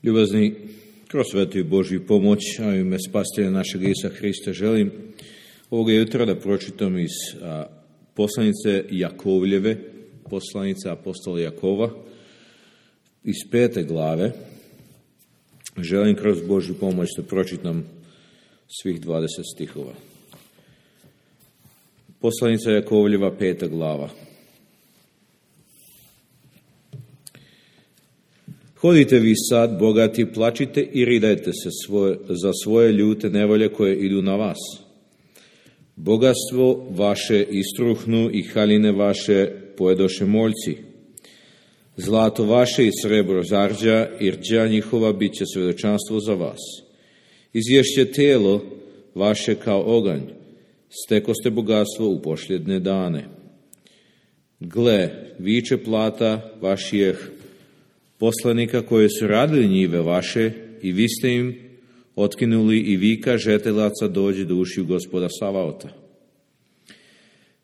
Ljubazni, kroz svetu i Božju pomoć, a u ime Spasitelja našeg Isusa Hrista želim ovoga jutra da pročitam iz poslanice Jakovljeve, poslanice apostola Jakova, iz 5. glave. Želim kroz Božju pomoć da pročitam svih 20 stihova. Poslanica Jakovljeva, 5. glava. Hodite vi sad, bogati, plačite i ridajte se za svoje ljute nevolje koje idu na vas. Bogatstvo vaše istruhnu i haljine vaše pojedoše moljci. Zlato vaše i srebro zarđa i rđa njihova bit će svedočanstvo za vas. Izješće tijelo vaše kao oganj, stekoste bogatstvo u posljedne dane. Gle, viče plata vašijeh poslanika koje su radili njive vaše i vi ste im otkinuli i vika žetelaca dođe do ušiju Gospoda Savaota.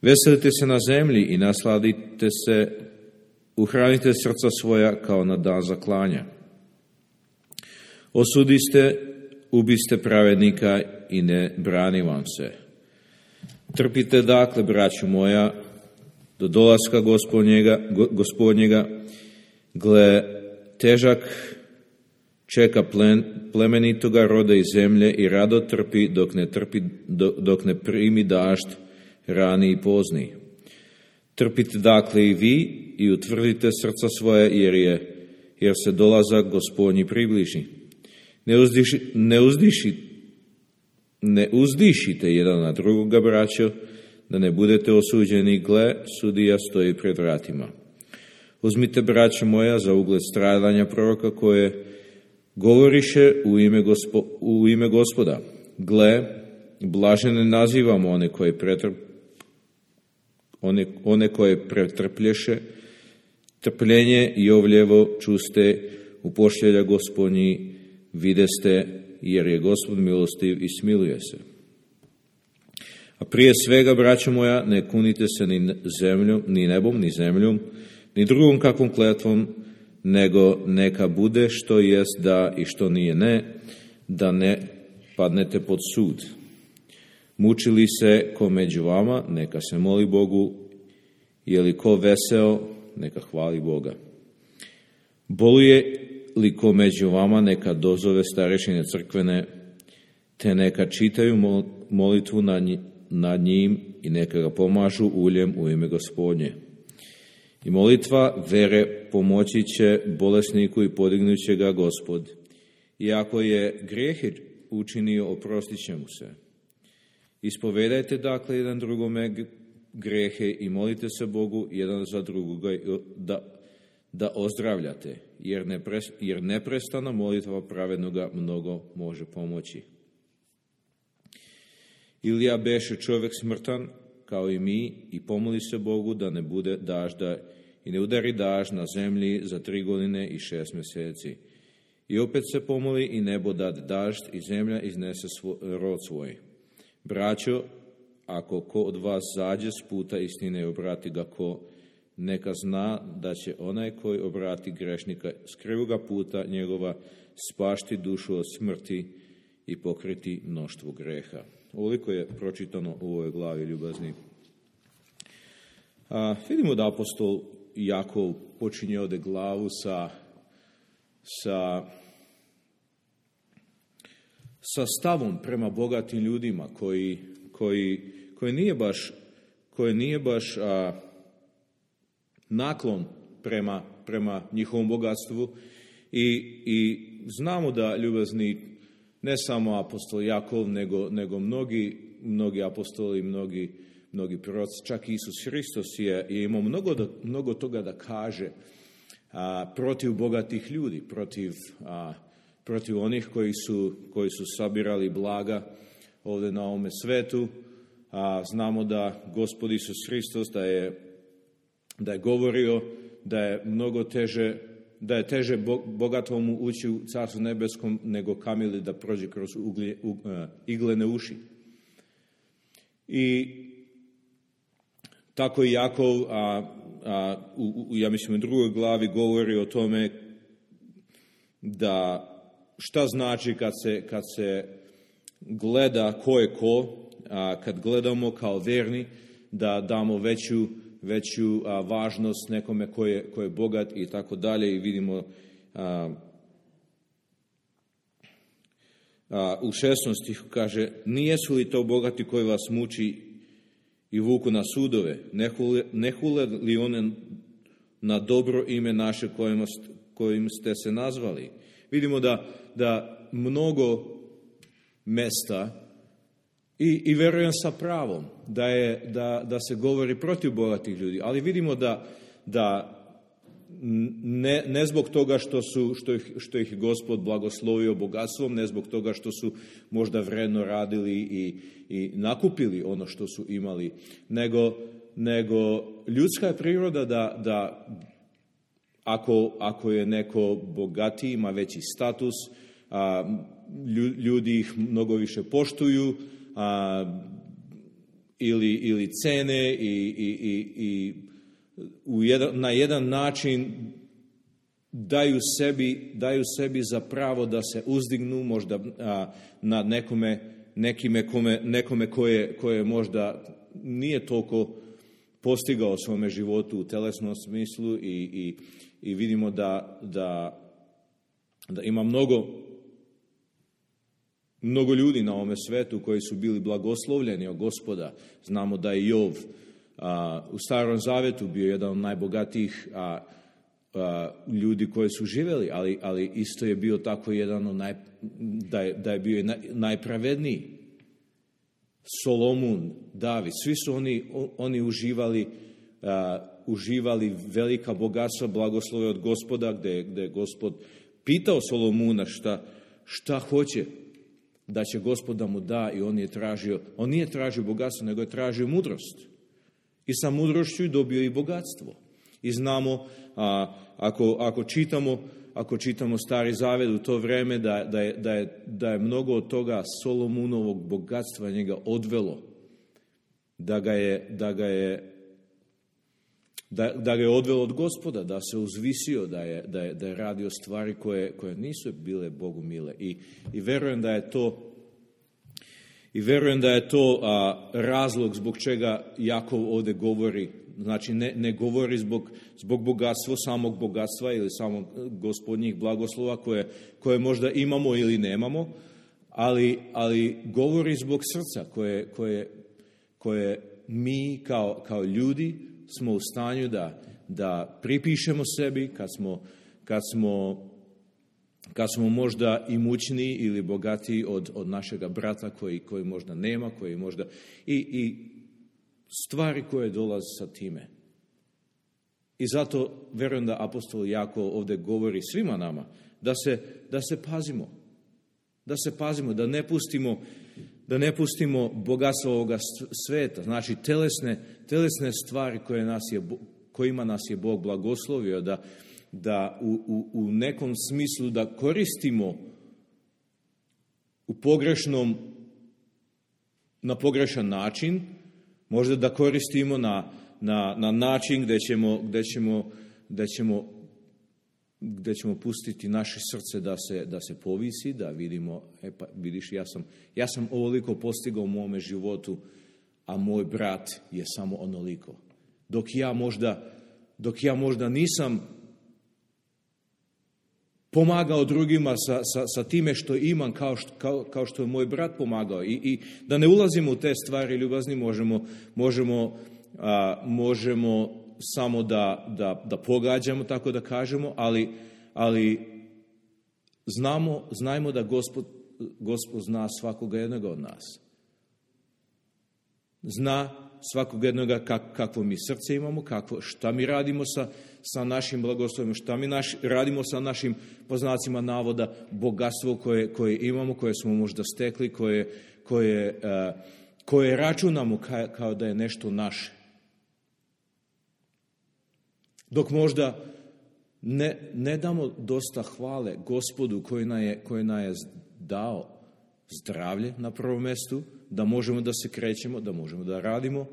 Veselite se na zemlji i nasladite se, uhranite srca svoja kao na dan zaklanja. Osudiste, ubiste pravednika i ne brani vam se. Trpite dakle, braćo moja, do dolaska gospodnjega, gle, težak čeka plemenitoga roda iz zemlje i rado trpi dok ne primi dažd rani i pozni. Trpite dakle i vi i utvrdite srca svoje jer se dolazak Gospodnji približi. Ne uzdišite jedan na drugoga, braćo, da ne budete osuđeni. Gle, sudija stoji pred vratima. Uzmite, braćo moja, za ugled stradanja proroka koje govoriše u ime Gospoda. Gle, blažene nazivamo one koje pretrplješe, trpljenje i ovljevo čuste u pošljelja Gospodnji videste, jer je Gospod milostiv i smiluje se. A prije svega, braćo moja, ne kunite se ni zemljom, ni nebom, ni zemljom, ni drugom kakvom kletvom, nego neka bude što jest da i što nije ne, da ne padnete pod sud. Mučili se ko među vama, neka se moli Bogu, je li ko veseo, neka hvali Boga. Boluje li ko među vama, neka dozove starešine crkvene, te neka čitaju molitvu nad njim i neka ga pomažu uljem u ime Gospodnje. I molitva vere pomoći će bolesniku i podignut će ga Gospod. I ako je grijehe učinio, oprostit će mu se. Ispovedajte dakle jedan drugome grijehe i molite se Bogu jedan za drugoga da ozdravljate, jer neprestana molitva pravednoga mnogo može pomoći. Ilija beše čovjek smrtan, kao i mi, i pomoli se Bogu da ne bude dažda i ne udari dažd na zemlji za 3 godine i 6 mjeseci. I opet se pomoli i nebo dade dažd i zemlja iznese rod svoj. Braćo, ako ko od vas zađe s puta istine i obrati ga neka zna da će onaj koji obrati grešnika s krivoga puta njegova spašti dušu od smrti i pokriti mnoštvo greha. Ovoliko je pročitano u ovoj glavi, ljubazni. Vidimo da apostol Jakov počinje ovdje glavu sa stavom prema bogatim ljudima koji nije baš naklon prema njihovom bogatstvu i znamo da, ljubazni, ne samo apostol Jakov, nego mnogi apostoli, mnogi proroci, čak Isus Hristos je imao mnogo toga da kaže protiv bogatih ljudi, protiv onih koji su sabirali blaga ovdje na ovome svetu. Znamo da Gospod Isus Hristos da je govorio da je mnogo teže, da je teže bogatomu ući u Carstvu nebeskom nego kamili da prođe kroz iglene uši. I tako i Jakov, ja mislim u 2. glavi govori o tome da šta znači kad se gleda ko je ko, kad gledamo kao verni, da damo veću važnost nekome ko je bogat i tako dalje, i vidimo u 16. stihu kaže: nijesu li to bogati koji vas muči i vuku na sudove? Ne hule li one na dobro ime naše kojim ste se nazvali? Vidimo da mnogo mesta, i verujem sa pravom, da se govori protiv bogatih ljudi, ali vidimo da ne zbog toga što ih Gospod blagoslovio bogatstvom, ne zbog toga što su možda vredno radili i nakupili ono što su imali, nego ljudska je priroda da ako je neko bogatiji, ima veći status, ljudi ih mnogo više poštuju ili cene i na jedan način daju sebi za pravo da se uzdignu možda nad nekome koje možda nije toliko postigao u svome životu u telesnom smislu, i vidimo da ima mnogo ljudi na ovome svetu koji su bili blagoslovljeni od Gospoda. Znamo da je Jov u Starom Zavetu bio jedan od najbogatijih ljudi koji su živjeli, ali isto je bio tako jedan od da je bio najpravedniji. Solomon, David, svi su oni uživali velika bogatstva, blagoslove od Gospoda, gdje je Gospod pitao Solomona šta hoće da će Gospod da mu da, i on nije tražio bogatstvo, nego je tražio mudrost. I sa mudrošću dobio i bogatstvo. I znamo, ako čitamo Stari Zavet u to vrijeme, da je mnogo od toga Solomonovog bogatstva njega odvelo, da ga je odvelo od Gospoda, da se uzvisio, da je radio stvari koje nisu bile Bogu mile. I verujem da je to razlog zbog čega Jakov ovdje govori. Znači, ne govori zbog bogatstva, samog bogatstva ili samog Gospodnjih blagoslova koje možda imamo ili nemamo, ali govori zbog srca koje mi kao ljudi smo u stanju da pripišemo sebi kad smo možda imućniji ili bogatiji od našega brata koji možda nema, koji možda i stvari koje dolaze sa time. I zato verujem da apostol Jakov ovdje govori svima nama da se pazimo, da ne pustimo bogatstvo ovoga sveta, znači telesne stvari kojima nas je Bog blagoslovio, da u nekom smislu da koristimo na pogrešan način, možda da koristimo na način gdje ćemo pustiti naše srce da se povisi, da vidimo, pa vidiš, ja sam ovoliko postigao u mome životu, a moj brat je samo onoliko. Dok ja možda nisam pomagao drugima sa time što imam, kao što je moj brat pomagao. I da ne ulazimo u te stvari ljubazni, možemo samo da pogađamo, tako da kažemo, ali znajmo da Gospod zna svakoga jednoga od nas. Zna svakog jednoga kakvo mi srce imamo, šta mi radimo sa našim blagoslovima, šta mi radimo sa našim, po znacima navoda, bogatstvo koje imamo, koje smo možda stekli, koje računamo kao da je nešto naše. Dok možda ne damo dosta hvale Gospodu koji nam je dao zdravlje na prvom mjestu, da možemo da se krećemo, da možemo da radimo,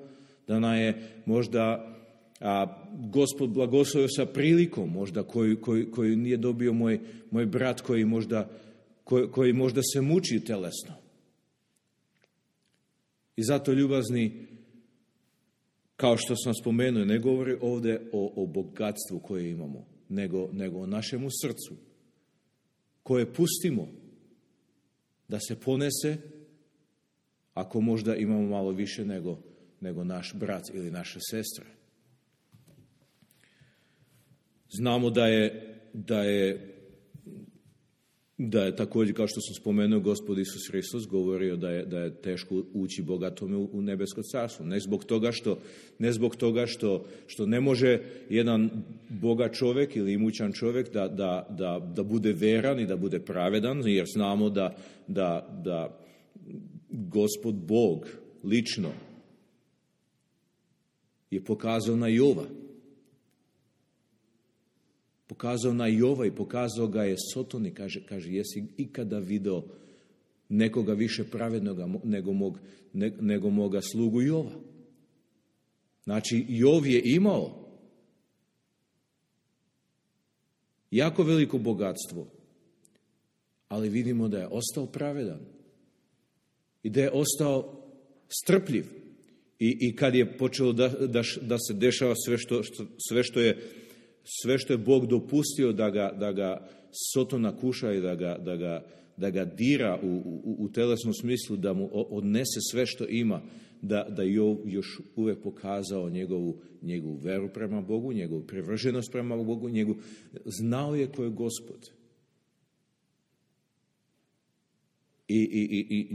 da nam je možda Gospod blagoslovio sa prilikom možda koju nije dobio moj brat koji možda se muči telesno. I zato, ljubazni, kao što sam spomenuo, ne govori ovdje o bogatstvu koje imamo, nego o našemu srcu, koje pustimo da se ponese, ako možda imamo malo više nego naš brat ili naša sestra. Znamo da je također, kao što sam spomenuo, Gospod Isus Hristos govorio da je teško ući bogatome u nebesko carstvo. Ne zbog toga što ne može jedan bogat čovjek ili imućan čovjek da bude veran i da bude pravedan, jer znamo da Gospod Bog lično je pokazao na Jova. Pokazao na Jova i pokazao ga je Sotoni, kaže, jesi ikada video nekoga više pravednoga nego moga slugu Jova? Znači, Jov je imao jako veliko bogatstvo, ali vidimo da je ostao pravedan i da je ostao strpljiv. I kad je počelo da se dešava sve što je Bog dopustio da ga Sotona kuša i da ga dira u telesnom smislu, da mu odnese sve što ima, da Jov još uvijek pokazao njegovu veru prema Bogu, njegovu privrženost prema Bogu, znao je ko je Gospod. I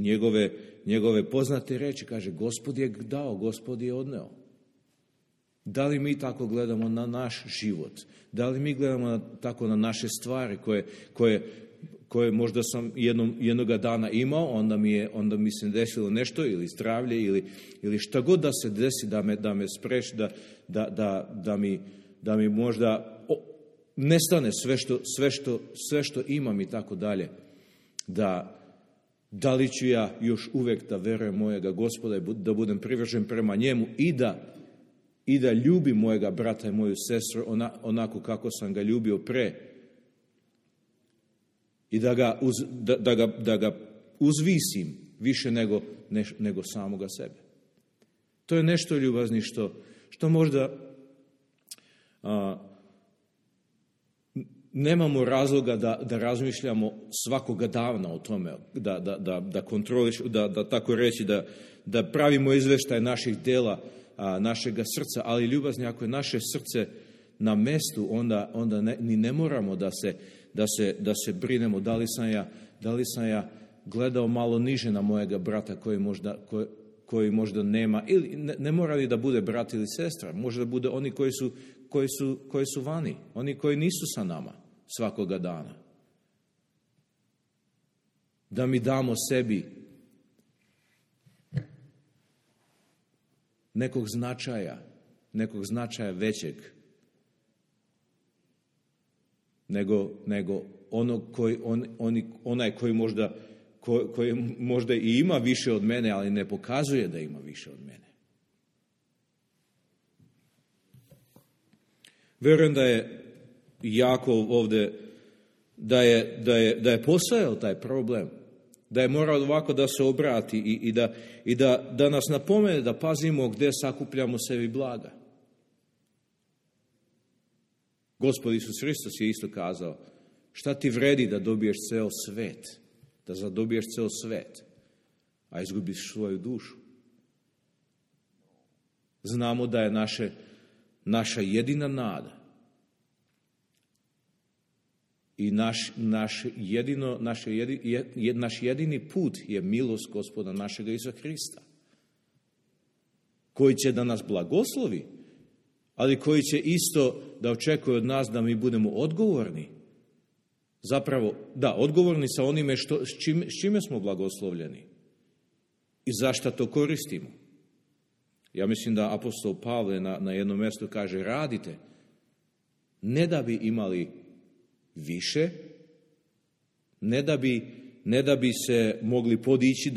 njegove poznate reči, kaže, Gospod je dao, Gospod je odneo. Da li mi tako gledamo na naš život? Da li mi gledamo tako na naše stvari koje možda sam jednoga dana imao, onda mi se desilo nešto, ili zdravlje, ili šta god da se desi, da me spreči, da mi možda nestane sve što imam i tako dalje. Da li ću ja još uvijek da verujem mojega Gospoda i da budem privržen prema njemu i da ljubim mojega brata i moju sestru onako kako sam ga ljubio pre i da ga uzvisim više nego samoga sebe. To je nešto, ljubazni, što možda nemamo razloga da razmišljamo svakoga dana o tome, da kontroliš, da tako reći, da pravimo izveštaj naših dela, našega srca, ali, ljubazni, ako je naše srce na mestu, onda ni ne moramo da se brinemo da li sam ja gledao malo niže na mojega brata koji možda nema, ili ne mora li da bude brat ili sestra, može da bude oni koji su vani, oni koji nisu sa nama svakoga dana. Da mi damo sebi nekog značaja većeg nego onaj koji možda i ima više od mene, ali ne pokazuje da ima više od mene. Vjerujem da je Jakov ovdje, da je postojao taj problem, da je morao ovako da se obrati i da nas napomene da pazimo gdje sakupljamo sebi blaga. Gospod Isus Hristos je isto kazao, šta ti vredi da dobiješ ceo svet, da zadobiješ ceo svet, a izgubiš svoju dušu. Znamo da je naša jedina nada i naš jedini put je milost Gospoda našega Isusa Hrista, koji će da nas blagoslovi, ali koji će isto da očekuje od nas da mi budemo odgovorni. Zapravo, odgovorni sa onime s čime smo blagoslovljeni i zašto to koristimo. Ja mislim da apostol Pavle na jednom mjestu kaže, radite, ne da bi imali više, ne da bi se mogli podići,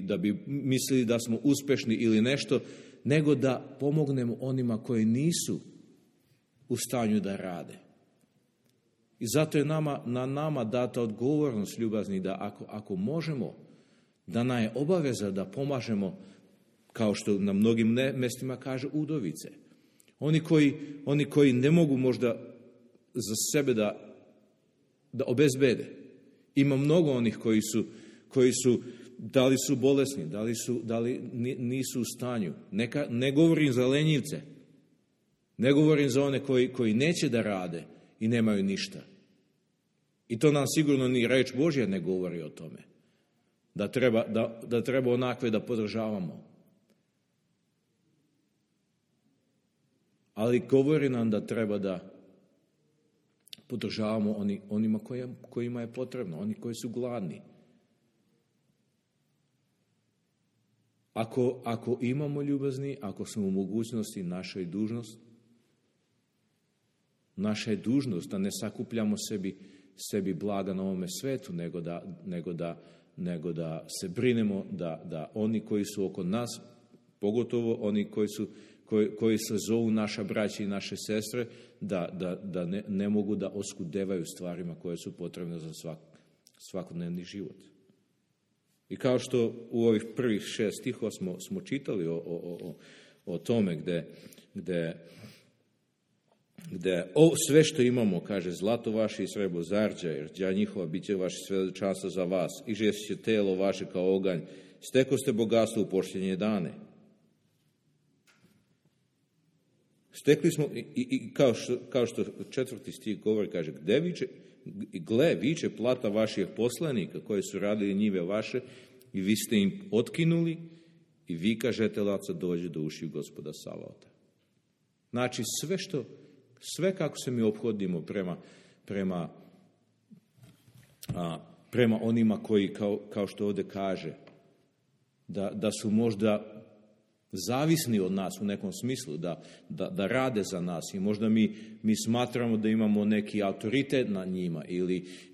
da bi mislili da smo uspešni ili nešto, nego da pomognemo onima koji nisu u stanju da rade. I zato je na nama data odgovornost, ljubazni, da ako možemo, da nam je obaveza da pomažemo, kao što na mnogim mjestima kaže, udovice. Oni koji ne mogu možda za sebe da obezbede. Ima mnogo onih koji su da li su bolesni, da li nisu u stanju. Ne govorim za lenjivce, ne govorim za one koji neće da rade i nemaju ništa. I to nam sigurno ni reč Božja ne govori o tome. Da treba onakve da podržavamo. Ali govori nam da treba da podržavamo onima kojima je potrebno, oni koji su gladni. Ako imamo ljubazni, ako smo u mogućnosti, naša je dužnost da ne sakupljamo sebi blaga na ovome svetu, nego da se brinemo da oni koji su oko nas, pogotovo oni koji se zovu naša braća i naše sestre, da ne mogu da oskudevaju stvarima koje su potrebne za svakodnevni život. I kao što u ovih prvih 6 stihova smo čitali o tome gde sve što imamo, kaže, zlato vaše i srebro zarđa, jer đa njihova bit će vaše svedočanstvo za vas, i žešće telo vaše kao oganj, steko ste bogatstvo u pošljenje dane. Stekli smo, i kao što 4. stih govori, kaže, gle, viče plata vaših poslanika koji su radili njive vaše i vi ste im otkinuli i vi kažete laca dođe do ušiju Gospoda Savaota. Znači sve kako se mi ophodimo prema onima koji, kao što ovdje kaže, da su možda zavisni od nas u nekom smislu, da rade za nas i možda mi smatramo da imamo neki autoritet nad njima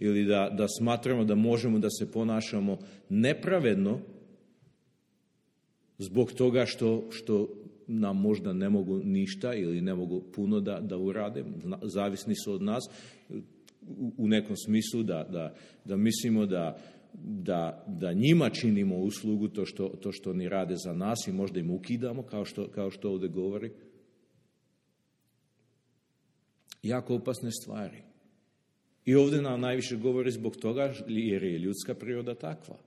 ili da smatramo da možemo da se ponašamo nepravedno zbog toga što nam možda ne mogu ništa ili ne mogu puno da urade, zavisni su od nas u nekom smislu da mislimo da njima činimo uslugu to što oni rade za nas i možda im ukidamo, kao što ovdje govori. Jako opasne stvari. I ovdje nam najviše govori zbog toga jer je ljudska priroda takva.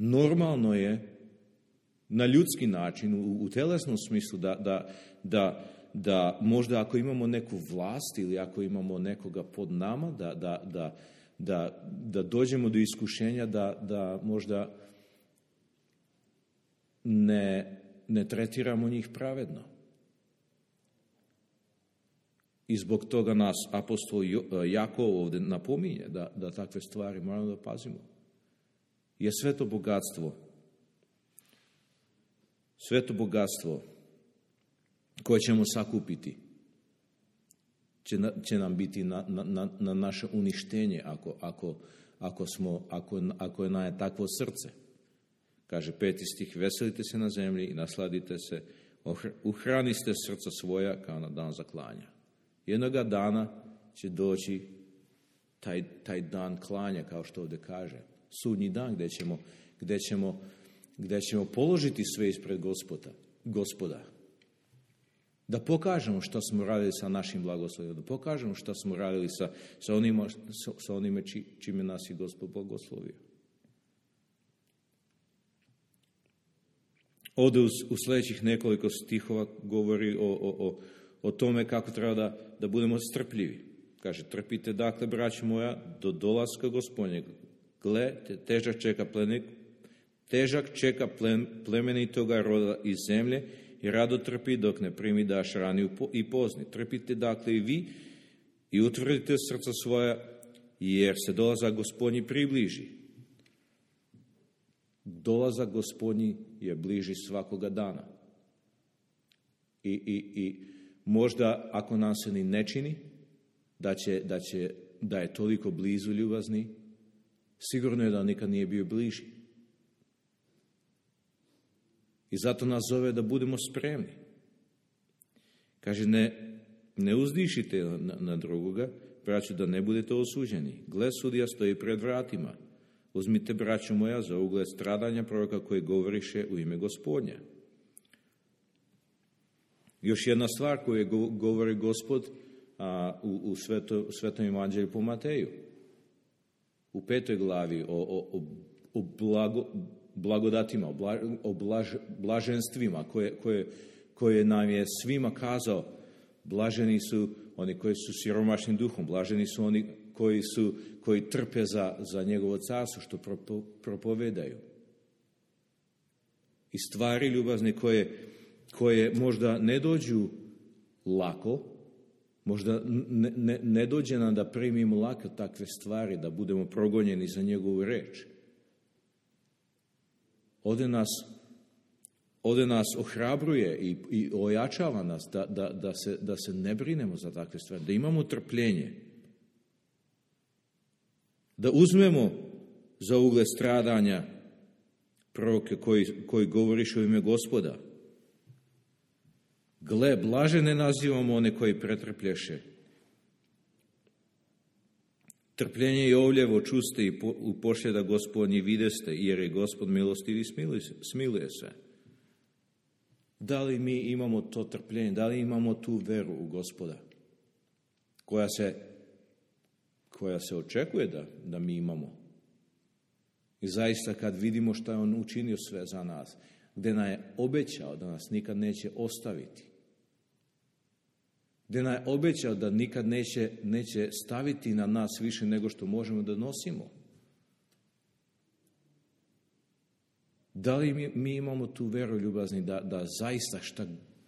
Normalno je na ljudski način, u telesnom smislu, da možda ako imamo neku vlast ili ako imamo nekoga pod nama, da dođemo do iskušenja da možda ne tretiramo njih pravedno. I zbog toga nas apostol Jakov ovdje napominje da takve stvari moramo da pazimo. Je sve to bogatstvo koje ćemo sakupiti će nam biti na naše uništenje ako je nam takvo srce. Kaže 5. stih, veselite se na zemlji i nasladite se, uhraniste srca svoja kao na dan zaklanja. Jednoga dana će doći taj dan klanja, kao što ovdje kaže. Sudnji dan gdje ćemo položiti sve ispred Gospoda. Da pokažemo što smo radili sa našim blagoslovima, da pokažemo što smo radili sa onime čime nas je Gospod blagoslovio. Ovdje u sljedećih nekoliko stihova govori o tome kako treba da budemo strpljivi. Kaže, trpite dakle, braćo moja, do dolaska Gospodnjeg. Gle, težak čeka plemenitoga roda iz zemlje i rado trpi dok ne primi daš rani i pozni. Trpite dakle i vi i utvrdite srca svoja, jer se dolazak Gospodnji približi. Dolazak Gospodnji je bliži svakoga dana. I možda ako nam se ni ne čini da je toliko blizu ljubazni, sigurno je da nikad nije bio bliži. I zato nas zove da budemo spremni. Kaže, ne uzdišite na drugoga, braćo, da ne budete osuđeni. Gle, sudija stoji pred vratima. Uzmite, braćo moja, za ugled stradanja proroka koji govoriše u ime Gospodnja. Još jedna stvar koju govori Gospod u Svetom evanđelju po Mateju. U 5. glavi o blagodatima, o blaženstvima koje nam je svima kazao. Blaženi su oni koji su siromašni duhom, blaženi su oni koji trpe za njegovo carstvo, što propovedaju. I stvari ljubazne koje možda ne dođu lako, možda ne dođe nam da primimo lako takve stvari, da budemo progonjeni za njegovu reč. Ovdje nas ohrabruje i ojačava nas da se ne brinemo za takve stvari, da imamo trpljenje, da uzmemo za ugled stradanja proroke koji govoriše u ime Gospoda. Gle, blažene nazivamo one koji pretrplješe. Trpljenje Jovljevo čuste i pošljeda Gospodnji videste, jer je Gospod milostiv i smiluje se. Da li mi imamo to trpljenje, da li imamo tu veru u Gospoda, koja se očekuje da mi imamo? I zaista kad vidimo što je On učinio sve za nas, gdje nam je obećao da nas nikad neće ostaviti, gdje nam je obećao da nikad neće staviti na nas više nego što možemo da nosimo. Da li mi imamo tu veru, ljubazni, da zaista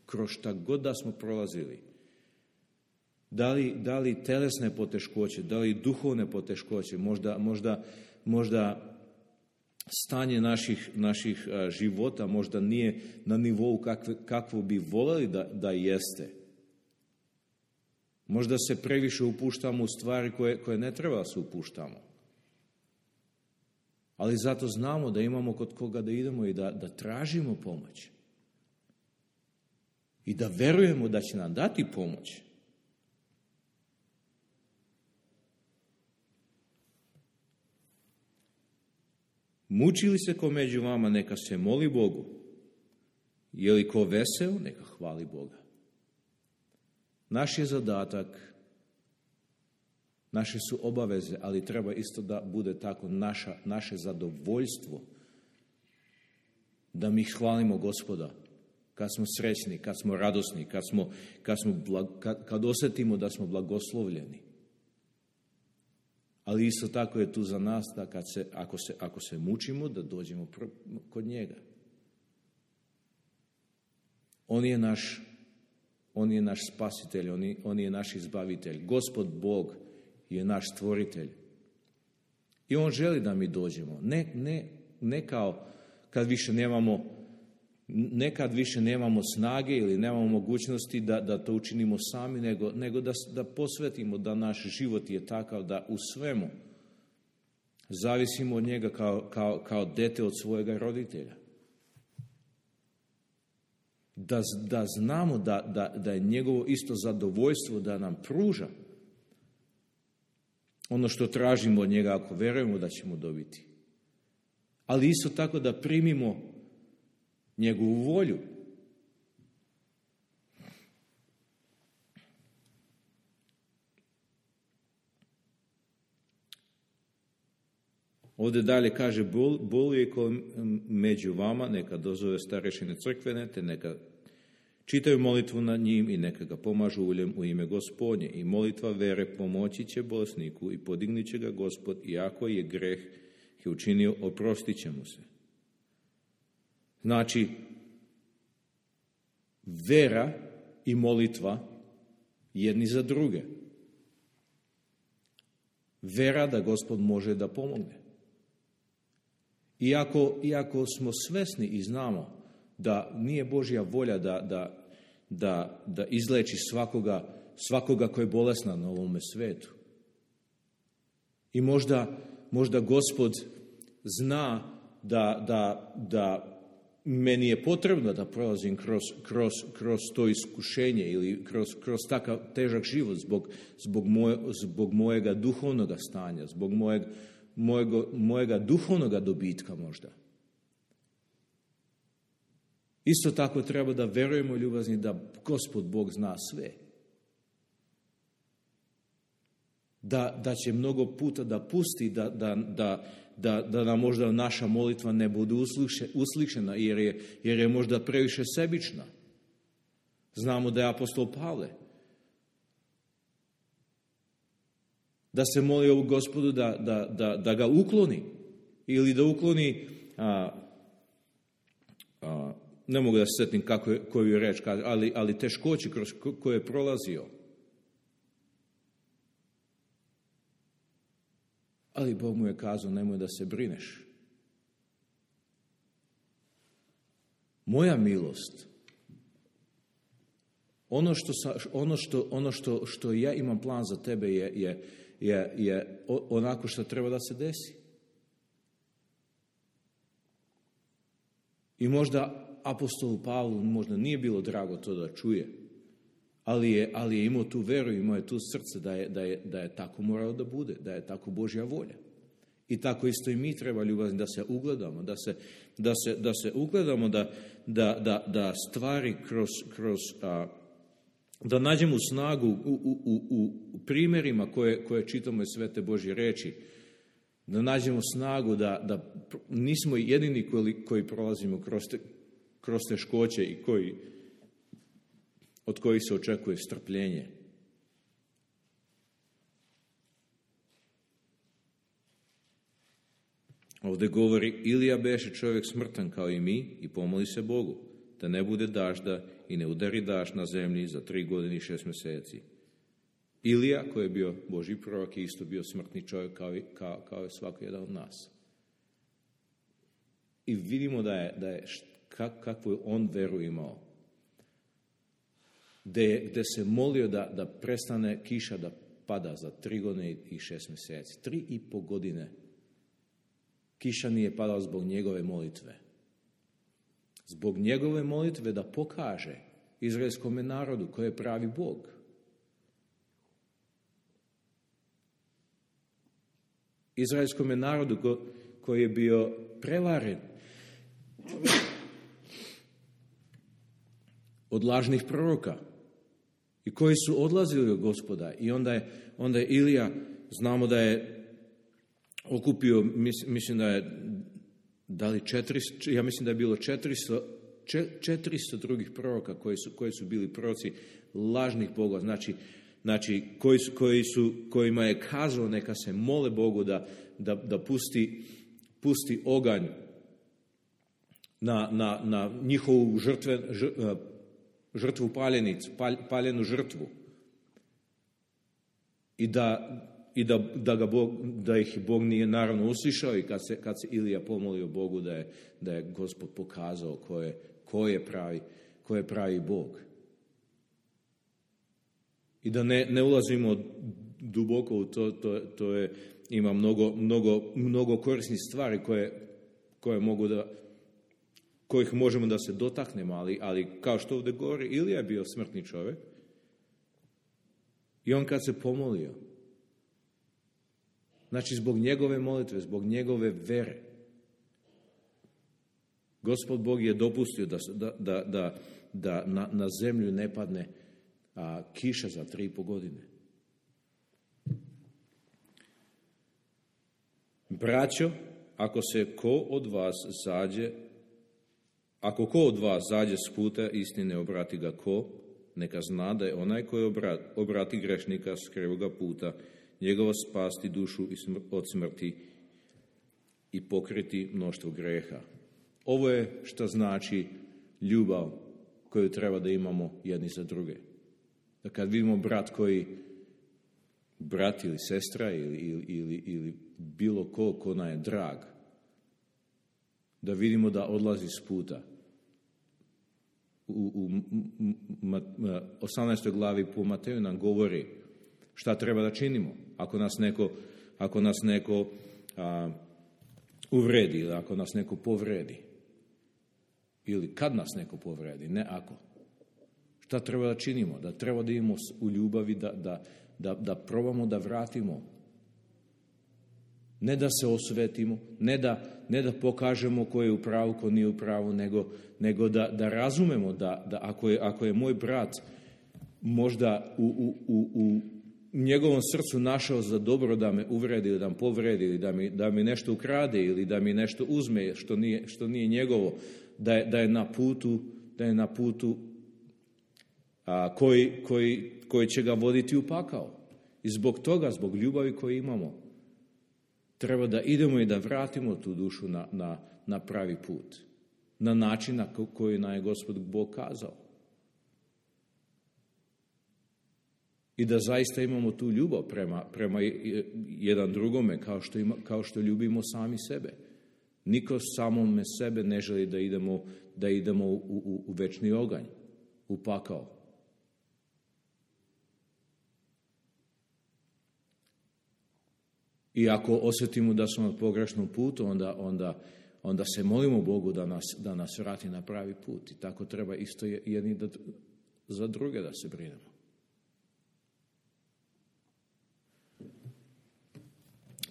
kroz šta god da smo prolazili, da li telesne poteškoće, da li duhovne poteškoće, možda stanje naših života možda nije na nivou kakvo bi voljeli da jeste. Možda se previše upuštamo u stvari koje ne treba da se upuštamo. Ali zato znamo da imamo kod koga da idemo i da tražimo pomoć. I da verujemo da će nam dati pomoć. Muči li se ko među vama, neka se moli Bogu. Je li ko veseo, neka hvali Boga. Naš je zadatak, naše su obaveze, ali treba isto da bude tako naše zadovoljstvo da mi hvalimo Gospoda kad smo srećni, kad smo radosni, kad osjetimo da smo blagoslovljeni. Ali isto tako je tu za nas da ako se mučimo, da dođemo kod njega. On je naš spasitelj, on je naš izbavitelj. Gospod Bog je naš stvoritelj. I on želi da mi dođemo. Ne kao nekad više nemamo snage ili nemamo mogućnosti da to učinimo sami, nego da posvetimo da naš život je takav da u svemu zavisimo od njega kao dete od svojega roditelja. Da znamo da je njegovo isto zadovoljstvo da nam pruža ono što tražimo od njega, ako verujemo da ćemo dobiti. Ali isto tako da primimo njegovu volju. Ovdje dalje kaže, boluje ko među vama, neka dozove starešine crkvene, te neka čitaju molitvu nad njim i neka ga pomažu uljem u ime Gospodnje. I molitva vere pomoći će bolesniku i podignit će ga Gospod, i ako je greh je učinio, oprostit će mu se. Znači, vera i molitva jedni za druge. Vera da Gospod može da pomogne. Iako smo svesni i znamo da nije Božja volja da izleči svakoga koji je bolestan na ovome svetu. I možda Gospod zna da meni je potrebno da prolazim kroz to iskušenje ili kroz takav težak život zbog mojega duhovnog stanja, zbog mojega duhovnog dobitka možda. Isto tako treba da verujemo, ljubazni, da Gospod Bog zna sve. Da će mnogo puta da pusti, da nam možda naša molitva ne bude uslišena, jer je možda previše sebična. Znamo da je apostol Pavle, da se moli ovu Gospodu da ga ukloni, ili da ukloni, ne mogu da se setim koju reč kaže, ali teškoće kroz koje je prolazio. Ali Bog mu je kazao, nemoj da se brineš. Moja milost, ono što ja imam plan za tebe je onako što treba da se desi. I možda apostolu Pavlu možda nije bilo drago to da čuje, ali je imao tu veru, imao je tu srce da je tako moralo da bude, da je tako Božja volja. I tako isto i mi treba, ljubazni, da se ugledamo, da se ugledamo, da stvari da nađemo snagu u primjerima koje čitamo iz Svete Božje reči, da nađemo snagu da nismo jedini koji prolazimo kroz teškoće i od kojih se očekuje strpljenje. Ovdje govori, Ilija beše čovjek smrtan kao i mi i pomoli se Bogu, da ne bude dažda i ne udari dažd na zemlji za 3 godine i 6 mjeseci. Ilija, koji je bio Božji prorok, je isto bio smrtni čovjek kao i svaki jedan od nas. I vidimo da je kakvu je on veru imao. Gde se molio da prestane kiša da pada za 3 godine i 6 mjeseci. 3,5 godine kiša nije padala zbog njegove molitve. Zbog njegove molitve da pokaže izraelskom narodu koji je pravi Bog. Izraelskom narodu koji je bio prevaren od lažnih proroka i koji su odlazili od Gospoda. I onda je Ilija, znamo da je okupio, mislim da je dali 400, ja mislim da je bilo 400 drugih proroka koji su bili proroci lažnih bogova, znači kojima je kazao neka se mole Bogu da pusti oganj na njihovu žrtvu paljenu žrtvu i da ih Bog nije naravno uslišao i kad se Ilija pomolio Bogu da je Gospod pokazao ko je pravi Bog. I da ne ulazimo duboko u to je, ima mnogo korisnih stvari kojih možemo da se dotaknemo, ali kao što ovdje govori, Ilija je bio smrtni čovjek i on kad se pomolio, znači zbog njegove molitve, zbog njegove vere, Gospod Bog je dopustio da na zemlju ne padne kiša za 3,5 godine. Braćo, ako ko od vas zađe s puta istine, obrati ga neka zna da je onaj koji obrati grešnika s krivoga puta, njegova spasti dušu od smrti i pokriti mnoštvo greha. Ovo je što znači ljubav koju treba da imamo jedni za druge. Da kad vidimo brat ili sestra ili bilo ko nam je drag, da vidimo da odlazi s puta. U 18. glavi po Mateju nam govori šta treba da činimo ako nas neko uvredi ili ako nas neko povredi. ili kad nas neko povredi, ne ako. Šta treba da činimo? Da treba da imamo u ljubavi, da probamo da vratimo. Ne da se osvetimo, ne da pokažemo ko je u pravu, ko nije u pravu, nego da razumemo da ako je moj brat možda u njegovom srcu našao za dobro da me uvredi ili da me povredi ili da mi nešto ukrade ili da mi nešto uzme što nije njegovo, da je na putu koji će ga voditi u pakao. I zbog toga, zbog ljubavi koju imamo, treba da idemo i da vratimo tu dušu na pravi put. Na način na koji nam je Gospod Bog kazao. I da zaista imamo tu ljubav prema jedan drugome kao što ljubimo sami sebe. Niko samome sebe ne želi da idemo u večni oganj, u pakao. I ako osjetimo da smo na pogrešnom putu, onda se molimo Bogu da nas vrati na pravi put. I tako treba isto jedni za druge da se brinemo.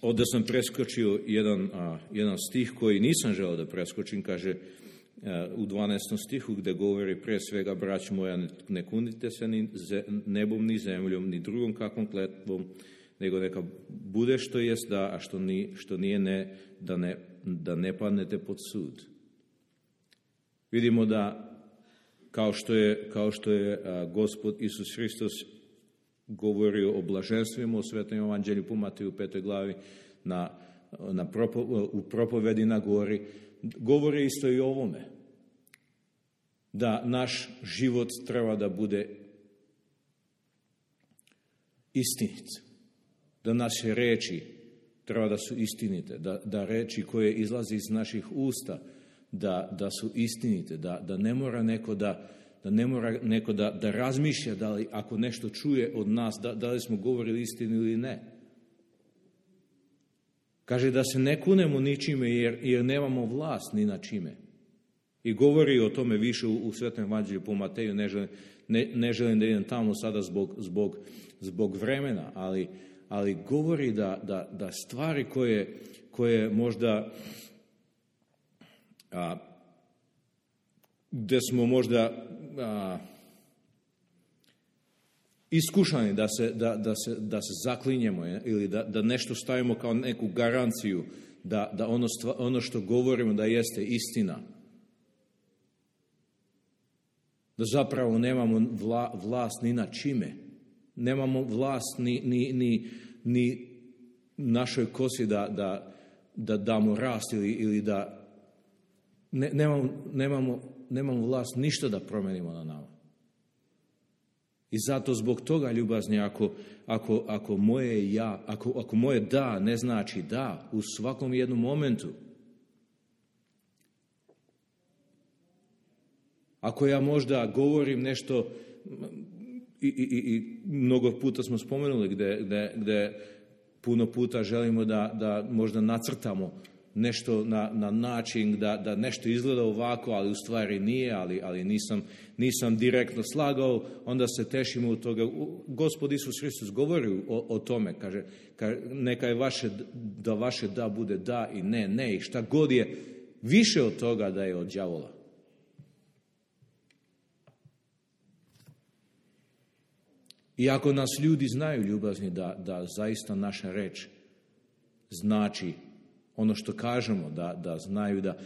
Ovdje sam preskočio jedan stih koji nisam želeo da preskočim, kaže u 12. stihu gdje govori pre svega, brać moja, ne kunite se ni nebom ni zemljom, ni drugom kakvom kletvom, nego neka bude što jest da, a što nije ne, da ne padnete pod sud. Vidimo da kao što je Gospod Isus Hristos govorio o blaženstvima u Svetom evanđelju po Mateju 5. glavi u propovedi na gori, govori isto i o ovome. Da naš život treba da bude istinit. Da naše reči treba da su istinite. Da reči koje izlazi iz naših usta da su istinite. Da ne mora neko da razmišlja da li ako nešto čuje od nas, da li smo govorili istinu ili ne. Kaže da se ne kunemo ničime jer nemamo vlast ni na čime. I govori o tome više u Svetom evanđelju po Mateju, ne želim da idem tamo sada zbog vremena, ali govori da stvari koje možda gdje smo možda iskušani da se zaklinjemo ili da nešto stavimo kao neku garanciju da ono što govorimo da jeste istina. Da zapravo nemamo vlast ni na čime. Nemamo vlast ni našoj kosi da damo rast ili da nemamo vlast ništa da promenimo na nama. I zato zbog toga, ljubazni, ako moje da ne znači da u svakom jednom momentu, ako ja možda govorim nešto i mnogo puta smo spomenuli gde puno puta želimo da možda nacrtamo nešto na način da nešto izgleda ovako, ali u stvari nije, ali nisam direktno slagao, onda se tešimo od toga. Gospod Isus Hristos govori o tome, kaže neka je vaše da bude da i ne, i šta god je više od toga da je od đavola. I ako nas ljudi znaju, ljubazni, da zaista naša reč znači ono što kažemo, da znaju da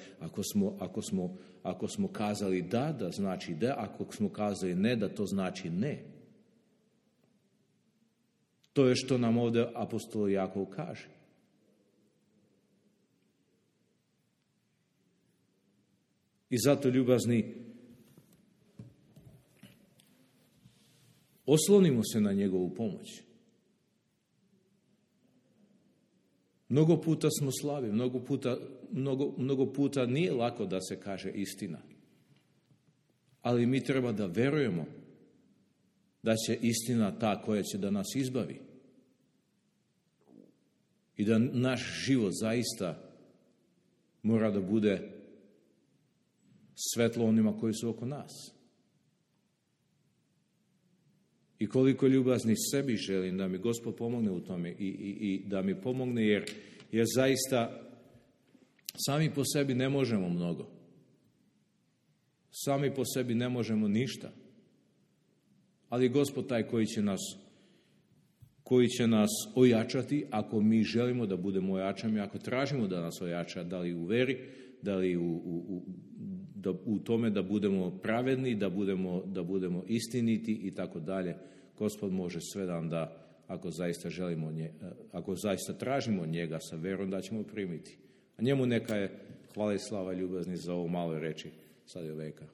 ako smo kazali da znači da, ako smo kazali ne, da to znači ne. To je što nam ovdje apostol Jakov kaže. I zato, ljubazni, oslonimo se na njegovu pomoć. Mnogo puta smo slabi, mnogo puta nije lako da se kaže istina. Ali mi treba da verujemo da će istina ta koja će da nas izbavi. I da naš život zaista mora da bude svetlo onima koji su oko nas. I koliko ljubazni sebi želim da mi Gospod pomogne u tome i da mi pomogne jer zaista sami po sebi ne možemo mnogo. Sami po sebi ne možemo ništa. Ali Gospod taj koji će nas ojačati ako mi želimo da budemo ojačani, ako tražimo da nas ojača, da li u veri, da li u tome da budemo pravedni, da budemo istiniti i tako dalje. Gospod može sve nam da, ako zaista tražimo njega sa verom, da ćemo primiti. A njemu neka je hvala i slava ljubazni za ovo malo reči sad i veka.